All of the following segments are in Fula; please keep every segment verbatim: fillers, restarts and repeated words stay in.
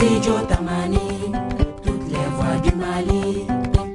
Studio Tamani, toutes les voix du Mali.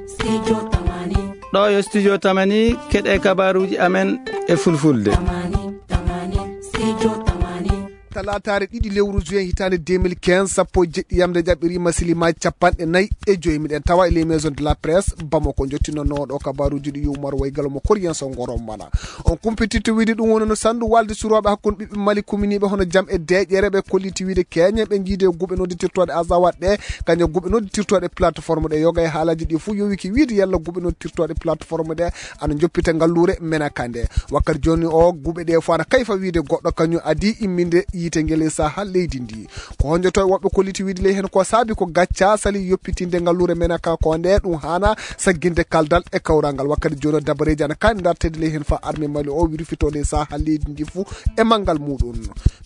Studio Tamani. Ɗo yo Studio Tamani, keɗe kabaruji amen e fulfulde. Tamani, Tamani, Studio Tamani. Talaataare ɗiɗi lewru juin hitaande deux mille quinze, sappo e jeɗɗi yamde jaɓɓiri masilimaji capanɗe nayi e joyi. Miɗen tawa e les maisons de la presse Bamako, jottinonno ɗo kabaruji ɗi Umar Waygalo mo Korien so Ngorom Mana. On kumpititta wiide ɗum woni no sandu walde surooɓe hakkunde ɓiɓɓe Mali kuminiiɓe hono jam e deeƴere ɓe kolliti wiide keeñen ɓe jiide guɓe nodditirtooɗe Azawad ɗe, kañum guɓe nodditirtooɗe plateforme ɗe. Yoga e haalaji ɗi fof yowiki wiide yalla guɓe nodditirtooɗe plateforme ɗe ana joppita ngalluure Menaka nde. Wakkati jooni o guɓe ɗe fof ana kayfa wiide goɗɗo kañum adi imminde yiite ngel e saha leydi ndi. Ko honjoto e woɓɓe kolliti wiide ley heen ko saabi ko gacca sali yoppitinde ngalluure Menaka ko nde ɗum haana sagginde kaldal e kawral ngal. Wakkati jooni o dabareeji ana kaani dartede ley heen fa armée Mali o wirfito ley saha leydi ndi fof e manngal muɗum.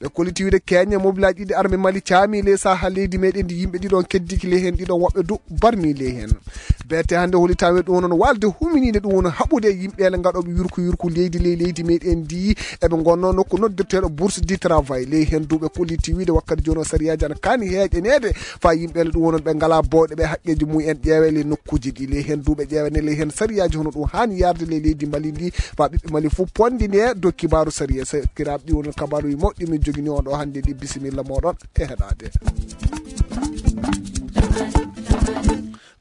Ɓe kolliti wiide keeñe mobilaaji ɗiɗi armée Mali caami ley saha leydi meɗen ndi yimɓe ɗiɗon keddiki ley heen ɗiɗon woɓɓe du barmi ley heen. Beete hannde holi tawe ɗum woni walde huminiinde ɗum woni haɓude e yimɓe ele ngaɗooɓe yurku yurku leydi ley leydi meɗen ndi. Eɓe ngonno nokku noddirteeɗo bourse du travail ley heen duuɓe kolliti wiide wakkati jooni o sariyaaji ana kaani heeƴaneede fa yimɓe ele ɗum wonon ɓe ngalaa bowɗe ɓe haqqeeji mum en ƴeewe ley nokkuuji ɗi ley heen duuɓe ƴeewene ley heen sariyaaji hono ɗum haani yarde ley leydi Mali ndi fa ɓiɓɓe Mali fof pondi nde dow kibaaru sariya sakiraaɓe ɗi wonon kabaaruji mawɗi min jogini on ɗo hannde ɗi bisimilla moɗon e heɗaade.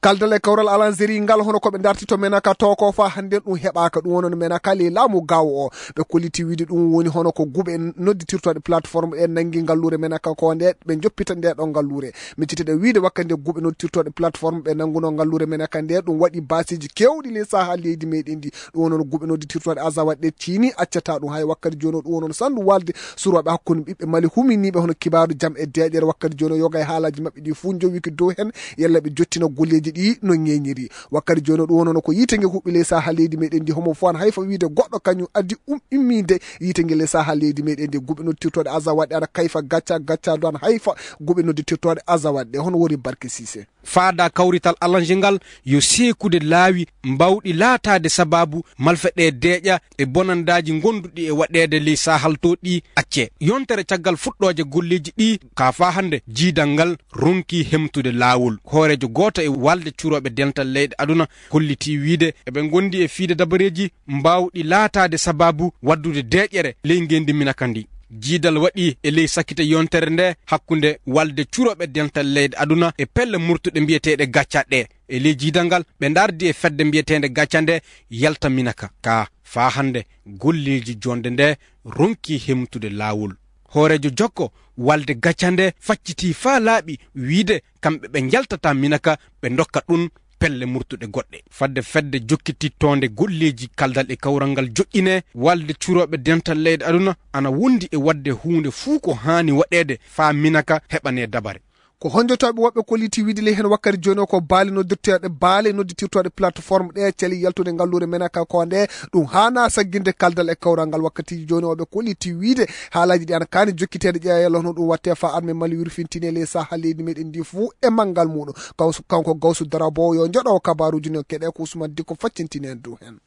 Kaldal e kawral Alanzeri ngal hono ko ɓe darti to Menaka to ko fa hannden ɗum heɓaaka ɗum wonon Menaka ley laamu gawo o. Ɓe kolliti wiide ɗum woni hono ko guɓe nodditirtooɗe plateforme ɗe nanngi ngalluure Menaka ko nde ɓe joppita nde ɗo ngalluure. Miccite ɗe wiide wakkati nde guɓe nodditirtooɗe plateforme ɓe nannguno ngalluure Menaka nde ɗum waɗi baasiiji keewɗi ley saha leydi meɗen ndi. Ɗum wonon guɓe nodditirtooɗe Azawad ɗe tiini accata ɗum hay wakkati jooni o ɗum wonon sandu walde surooɓe hakkunde ɓiɓɓe Mali huminiiɓe hono kibaaru jam e deeƴere wakkati jooni o yoga e haalaji maɓɓe ɗi fof jowiki dow heen yalla ɓe jottina golleeji ɗi no ñeeñiri. Wakkati jooni o ɗum wonono ko yiite nge huɓɓi ley saha leydi meɗen ndi homo fof an hay fo wiide goɗɗo kañum addi um imminde yiite nge ley saha leydi meɗen ndi guɓe nodditirtooɗe Azawad ɗe ana kayfa gacca gacca do an hay fa guɓe nodditirtooɗe Azawad ɗe hono woni Barke Sise. Faada kawrital alange ngal yo seekude laawi mbawɗi laataade sabaabu malfeɗe deeƴa e bonandaaji ngonduɗi e waɗeede ley sahal to ɗi accee. Yontere caggal fuɗɗooje golleeji ɗi ka faa hannde jiidal ngal ronki hemtude laawol. Hooreejo gooto e walde curooɓe dental leyɗe aduna holliti wiide eɓe ngondi e fiide dabareeji mbawɗi laataade sabaabu waddude deeƴere ley ngeenndi Minaka ndi. Jiidal waɗi e ley sakkite yontere nde hakkunde walde curooɓe dental leyɗe aduna e pelle murtuɗe mbiyeteeɗe gaccaɗe ɗe. E ley jiidal ngal ɓe ndardi e fedde mbiyeteende gacca nde yalta Minaka ka faa hannde golleeji jonde nde ronki hemtude laawol. Hooreejo jokko walde gacca nde facciti faa laaɓi wiide kamɓe ɓe njaltata Minaka ɓe ndokka ɗum pelle murtuɗe goɗɗe. Fadde fedde jokkitittoonde golleeji kaldal e kawral ngal joƴƴine walde curooɓe dental leyɗe aduna ana wondi e waɗde huunde fuu ko haani waɗeede faa Minaka heɓane dabare. Ko honjotooɓe woɓɓe kolliti wiide ley heen wakkati jooni o ko baali noddirteeɗe baali nodditirtooɗe plateforme ɗe cali yaltude ngalluure Menaka ko nde ɗum haana sagginde kaldal e kawral ngal wakkatiiji jooni o ɓe kolliti wiide haalaji ɗi ana kaani jokkiteede ƴeewa yalla hono ɗum watte faa armée Mali wirfintini e ley saha leydi meɗen ndi fuu e manngal muɗum. Gawsu kanko Gawsu Darabo yo joɗo kabaruji no keɗe ko Ousmane Dikko faccintini en dow heen.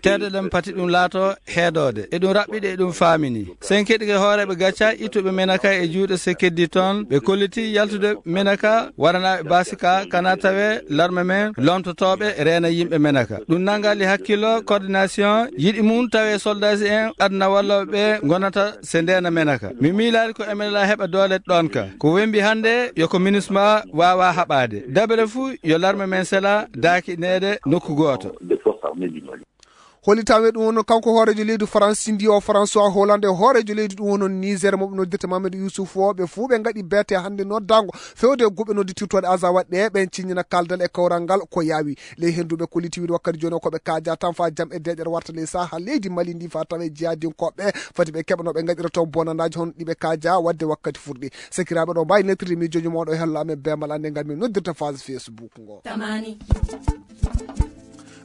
Teede ɗen pati ɗum laato heedoode eɗum raɓɓiɗe eɗum faamini. Sen keɗike hooreeɓe gacca ittuɓe Menaka e juuɗe se keddi toon ɓe kolliti yaltude Menaka waranaaɓe basika kana tawe larme men lomtotooɓe reena yimɓe Menaka. Ɗum nangali hakkillo coordination yiɗi mum tawe soldaaji en aduna wallooɓe ɓe ngonata se ndeena Menaka. Mi miilaali ko Emelala heɓa doole ɗoon ka. Ko wembi hannde yo ko MINUSMA waawa haɓaade. Dabere fuu yo larme men sela daakineede nokku gooto. Holitawe ɗum wonno kanko hooreejo leydi Faransi ndi o François Hollande e hooreejo leydi ɗum wonno Niger mo ɓe noddirta Mamadou Youssouf o ɓe fuu ɓe ngaɗi beete hannde noddaango fewde e guɓe nodditirtooɗe Azawad ɗe ɓen ciññina kaldal e kawral ngal ko yaawi. Ley heen duuɓe kolliti wiide wakkati jooni o ko ɓe kaaja tan faa jam e deeƴere warta ley saha leydi Mali ndi faa tawe jihadinkooɓe fati ɓe keɓa no ɓe ngaɗira toon bonandaaji hono ɗi ɓe kaaja waɗde wakkati furɗi. Sakiraaɓe ɗo mbaawi nettirde miijooji mooɗo e hello amen beemal annde ngal min noddirta phase Facebook ngo. Tamani.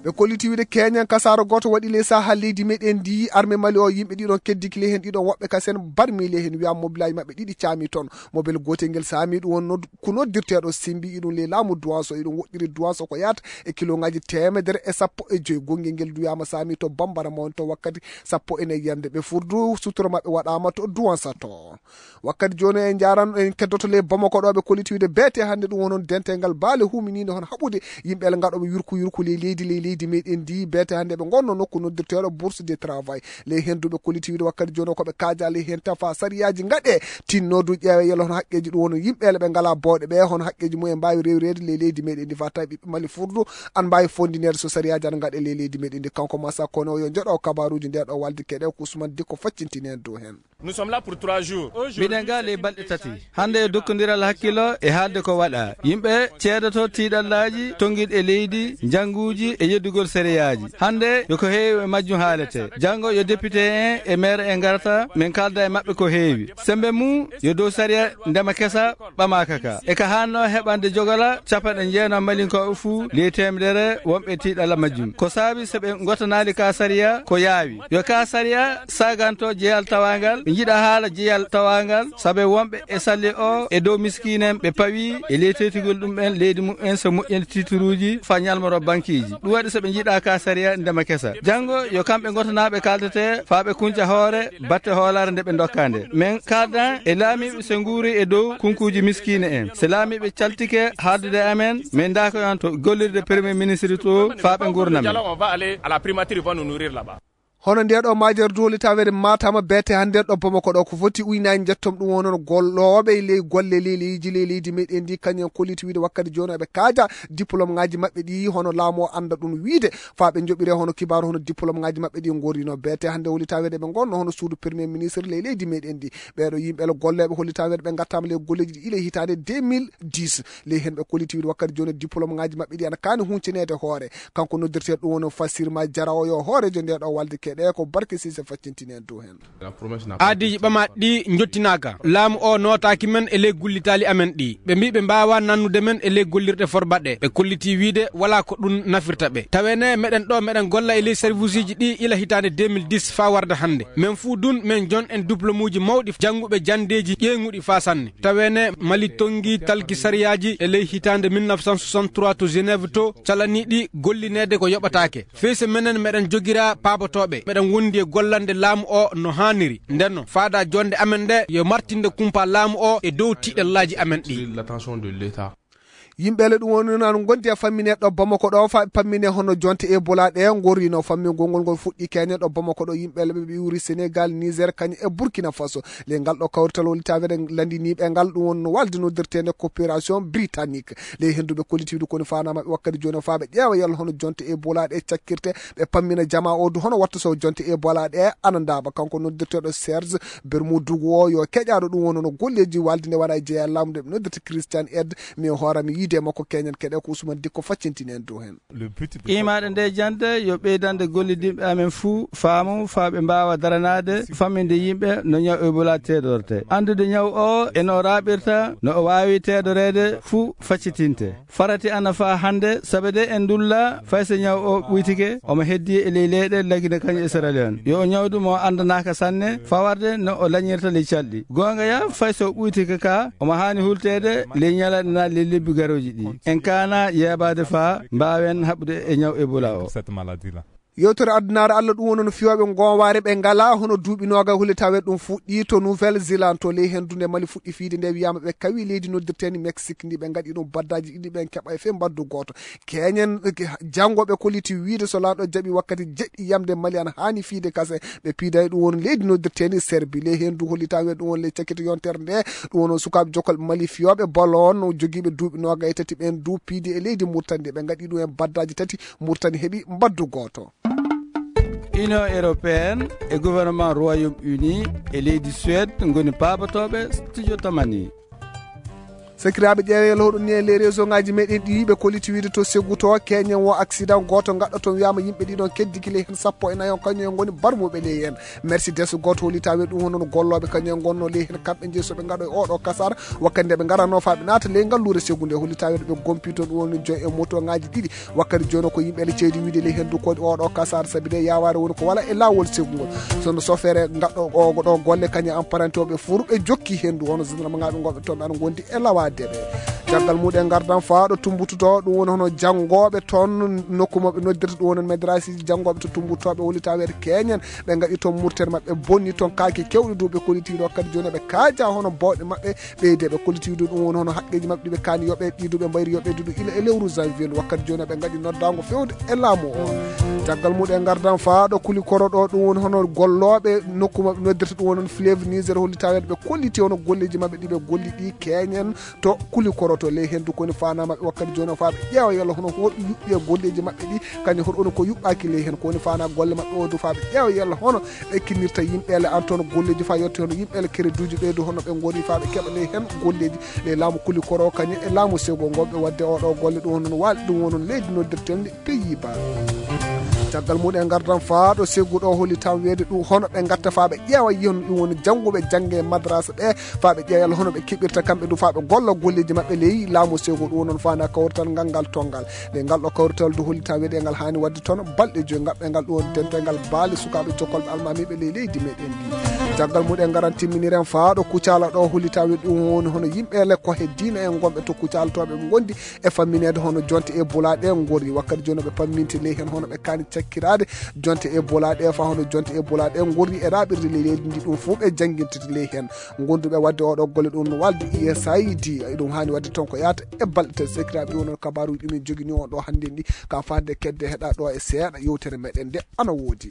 Ɓe kolliti wiide keñen kasaara gooto waɗi ley sahaa leydi meɗen ndi, armée Mali o, yimɓe ɗiɗon keddiki ley heen, ɗiɗon woɓɓe kasen barmi ley heen, wiyaa mobilaaji maɓɓe ɗiɗi caami toon. Mobel gootel ngel saami, ɗum wonno ko noddirteeɗo Simbi, iɗum ley laamu Duwanso, iɗum woɗɗiri Duwanso ko yaata e kilomètre teemedere e sappo e joy. Gonngel ngel wiyaama saami to Bambara Mawni to wakkati sappo e nayi yamde. Ɓe furdu suturo maɓɓe waɗaama to Duwansa to. Wakkati jooni en njaran, en keddoto ley Bamako ɗo, ɓe kolliti wiide beete hannde ɗum woni on dental ngal baale huminiinde hono haɓude yimɓe ele ngaɗooɓe yurku yurku ley leydi, ley leydi meɗen ndi. Beete hannde ɓe ngonno nokku noddirteeɗo Bourse de Travail. Ley heen du ɓe kolliti wiide wakkati jooni o ko ɓe kaaja ley heen tafa sariyaaji ngaɗe tinnoodu ƴeewe yelo hono haqqeeji ɗum woni yimɓe ele ɓe ngalaa bawɗe ɓe hono haqqeeji mumen mbaawi rewreede ley leydi meɗen ndi faa tawi ɓiɓɓe Mali furdu an mbaawi fondineede so sariyaaji ana ngaɗe ley leydi meɗen ndi. Kanko Masa Kone o yo njoɗo kabaruuji nde ɗo walde keɗe ko Ousmane Dikko faccintini en dow heen. Nous sommes là pour trois jours. Aujourd'hui, miɗen ga ley balɗe tati. Hannde e dokkondiral hakkillo e haalde ko waɗa. Yimɓe ceedoto tiiɗallaaji tonngiiɗi e leydi, njannguuji e yeddugol sariyaaji. Hannde yo ko heewi e majjum haalete. Janngo yo député en e maire en ngarta, min kaalda e maɓɓe ko heewi. Semmbe mum yo dow sariya ndema kesa ɓamaaka ka. E ka haanno heɓande jogola capanɗe jeenayi malinkooɓe fuu ley teemedere wonɓe tiiɗalla majjum. Ko saabi so ɓe ngotanaali ka sariya ko yaawi. Yo ka sariya saganto jeyal tawangal, ɓe njiɗa haala jeyal tawangal, sabe wonɓe e salli o e dow miskiinen ɓe pawi e ley teetigol ɗum en leydi mum en so moƴƴande tituruuji fa ñalmoro bankiiji. Ɗum waɗi so ɓe njiɗa ka sariya ndema kesa. Janngo yo kamɓe ngotanaaɓe kaaltete fa ɓe kunca hoore batte hoolaare nde ɓe ndokka nde. Men kaaldan e laamiiɓe so nguuri e dow kunkuuji miskiine en. So laamiiɓe caltike haaldude e amen, min ndaako yon to gollirde premier ministre to fa ɓe ngurnam. Dialogue, on va aller à la primature, ils vont nous nourrir là-bas. Hono nde ɗo majere du holitaweede Matama beete hannde ɗo Bamako ɗo ko foti uynaaji njettom ɗum wonon gollooɓe ley golle ley leydi ley leydi meɗen ndi kañum kolliti wiide wakkati jooni eɓe kaaja diplôme ngaji maɓɓe ɗi hono laamu o annda ɗum wiide fa ɓe njoɓire hono kibaaru hono diplôme ngaji maɓɓe ɗi ngorrino beete hannde holitaweede ɓe ngonno hono suudu premier ministre ley leydi meɗen ndi. Ɓeeɗo yimɓe le golleeɓe holitaweede ɓe ngattaama ley golleeji ɗi ile hitaande deux mille dix. Ley heen ɓe kolliti wiide wakkati jooni diplôme ngaji maɓɓe ɗi ana kaani huncineede hoore. Kanko noddirteeɗo ɗum woni Fasirma Jarawo yo hooreejo nde ɗo walde keɗe ko Barke Sise faccintini en dow heen. Aadiiji ɓamaaɗi ɗi njottinaaka. Laamu o nootaaki men e ley gullitaali amen ɗi. Ɓe mbii ɓe mbaawaa nannude men e ley gollirɗe forbaɗe. Ɓe kolliti wiide walaa ko ɗum nafirta ɓe. Tawene meɗen ɗo meɗen golla e ley serviceji ɗi ila hitaande deux mille dix faa warda hannde. Men fuu dun men jon en diplômuuji mawɗi jannguɓe janndeeji ƴeeŋuɗi faa sanne. Tawene Mali tonngi talki sariyaaji e ley hitaande mille neuf cent soixante-trois to Genève to calaniiɗi gollineede ko yoɓataake. Feyse menen meɗen jogira paabotooɓe, meɗen wondi e gollande laamu o no haaniri. Ndenno, faada jonde amen nde yo martinde kumpa laamu o e dow tiiɗallaaji amen ɗi. L'attention de l'État. Yimɓe le ɗum woni noon gondi e fammine ɗo Bamako ɗo, fa ɓe pammine hono jonte Ebola ɗe gorrino. Fammingol ngol ngol fuɗɗi keñen ɗo Bamako ɗo, yimɓe le ɓe ɓe iwri Sénégal, Niger, kañum e Burkina Faso. Le ngal ɗo kawrital woni tawede landiniiɓe ngal, ɗum woni no walde noddirteende coopération britannique. Ley henndu ɓe kolliti wiide koni faanaa maɓɓe wakkati jooni o faa ɓe ƴeewa yalla hono jonte Ebola ɗe cakkirte, ɓe pammina jamaa o du hono watta so jonte Ebola ɗe ana ndaaɓa. Kanko noddirteeɗo Serge Bermudou o yo keƴaaɗo ɗum woni no golleeji walde nde waɗa e jeyaa laamu nde ɓe noddirta Christian Aid, mi hoorami yiide e makko keñen keɗe ko Ousmane Dikko faccintini en dow heen. Qiimaaɗe nde jannde yo ɓeydande gollidinɓe amen fuu faamu faa ɓe mbaawa daranaade famminde yimɓe no ñaw Ebola teeɗorte. Anndude ñaw o e no o raaɓirta, no o waawi teeɗoreede fuu faccitinte. Farati ana faa hannde, sabe de en ndulla fay so ñaw o ɓuytike, omo heddii e ley leyɗe Lagine kañum e Sierra Leone. Yo o ñawdu mo anndanaaka sanne, fawarde no o lañirta ley calɗi. Goonga ya, fay so o ɓuytike ka, omo haani hulteede ley ñalaaɗe naa ley lebbi garooji ɗi. En kaana yeebaade faa mbaawen haɓude e ñaw Ebola o. Cette maladie-là. Yewtere addunaare Allah ɗum woni no fiyooɓe goowaare ɓe ngalaa hono duuɓi noogaye holi taweede ɗum fuɗɗii to Nouvelle Zélande to ley henndu nde Mali fuɗɗi fiyde nde wiyaama ɓe kawi leydi noddirteeni Mexique ndi ɓe ngaɗi ɗum baddaaji ɗiɗi ɓen keɓa e fee mbaddu gooto. Keñen janngo ɓe kolliti wiide so laamɗo jaɓi wakkati jeɗɗi yamde Mali ana haani fiyde kase ɓe piiday ɗum woni leydi noddirteeni Serbi. Ley henndu holli taweede ɗum woni ley cakkito yontere nde ɗum woni sukaaɓe jokkal Mali fiyooɓe ballon jogiiɓe duuɓi noogaye tati ɓen du piidi e leydi Murtani ɓe ngaɗi ɗum en baddaaji tati Murtani heɓi mbaddu gooto. Union européenne e gouvernement Royaume-Uni e leydi Suède ngoni paabotooɓe studio Tamani. Sakiraaɓe, ƴeewee lowɗo ni e les réseau ngaji meɗen ɗi, ɓe kolliti wiide to Ségou to, keñen wo accident gooto gaɗɗo toon, wiyama yimɓe ɗiɗon keddiki ley heen sappo e nayo, kañum en ngoni barmuɓe ley heen. Mercedes gooto holli taweede ɗum woni hono gollooɓe kañum en ngonno ley heen, kamɓe jeyi so ɓe ngaɗo e oɗo kasar, wakkati nde ɓe ngaranno faa ɓe naata ley ngalluure Ségou nde, holli taweede ɓe gompi toon ɗum woni joyi e moto ngaji ɗiɗi. Wakkati jooni ko yimɓe le ceedi wiide ley heen du ko oɗo kasar, sabi de yawaare woni ko wala e laawol Ségou ngol. Sono sofeere gaɗɗo o ɗo golle kañum e apprenti o ɓe fof ɓe jokki heen du, hono gendarme ngaɓe ngonɓe toon ɓe ana ngondi e lawaade ɓe. Caggal muɗum en ngardan faa ɗo Tumbutu to, ɗum woni hono janngooɓe toon nokku mo ɓe noddirta ɗum woni madrasiji janngooɓe to Tumbutu to, ɓe holli taweede keñen ɓe ngaɗi toon murtere maɓɓe bonni toon kaake kewɗe du, ɓe kolliti ɗo kadi jooni ɓe kaaja hono bawɗe maɓɓe ɓeyde, ɓe kolliti du ɗum woni hono haqqeeji maɓɓe ɗi ɓe kaani yo ɓe ɗi du ɓe mbayri yo ɓe ɗi du ila e lewru janvier ndu, wakkati jooni ɓe ngaɗi noddaango fewde e laamu o. Caggal muɗum en ngardan faa ɗo Kulikoro ɗo, ɗum woni hono gollooɓe nokku maɓɓe noddirta ɗum woni hono Fleuve Niger holli taweede ɓe kolliti hono golleeji maɓɓe ɗi ɓe golli ɗi keñen to Kulikoro to ley heen du ko woni faanaa maɓɓe wakkati jooni o faa ɓe ƴeewa yalla hono hoɗum yuɓɓi e golleeji maɓɓe ɗi, kañum hoɗum woni ko yuɓɓaaki ley heen ko woni faanaa golle maɓɓe o du faa ɓe ƴeewa yalla hono ɓe kinirta yimɓe le an toon golleeji faa yotti hono yimɓe le kereduuji ɓeydu hono ɓe ngoni faa ɓe keɓa ley heen golleeji ley laamu Kulikoro kañum e laamu Ségou ngo ɓe waɗde oɗo golle ɗum woni waali ɗum woni leydi noddirten Pays-Bas. Caggal muɗum en ngardan faa ɗo Ségou ɗo holli tan weede ɗum hono ɓe ngatta faa ɓe ƴeewa yiyon ɗum woni jannguɓe jannge madrasa ɓe faa ɓe ƴeewa yalla hono ɓe keɓirta kamɓe du faa ɓe golla golleeji maɓɓe ley laamu Ségou ɗum woni faanaa kawrital ngal ngal tonngal. Nde ngal ɗo kawrital du holli tan weede ngal haani waɗde toon balɗe joyi ngaɓɓe ngal ɗum woni dental ngal baali sukaaɓe jokkolɓe almaamiiɓe ley leydi meɗen ndi. Caggal muɗum en ngaran timminiren faa ɗo Kucala ɗo holli tan weede ɗum woni hono yimɓe le ko he diina en ngonɓe to Kucala to ɓe ngondi e fammineede hono jonte e bulaaɗe ngorri. Wakkati jooni ɓe pamminti ley heen hono ɓe kaani cakkiraade jonte e bulaaɗe faa hono jonte e bulaaɗe ngorri e raaɓirde ley leydi ndi ɗum fof ɓe janngintiti ley heen. Gonduɓe waɗde oɗo golle ɗum no waldi U S A I D, ɗum haani waɗde toon ko yaata e balɗe tati. Sakiraaɓe, ɗum noon kabaaruuji ɗumen jogini on ɗo hannde ndi ka fadde kedde heɗa ɗo e seeɗa yewtere meɗen nde ana woodi.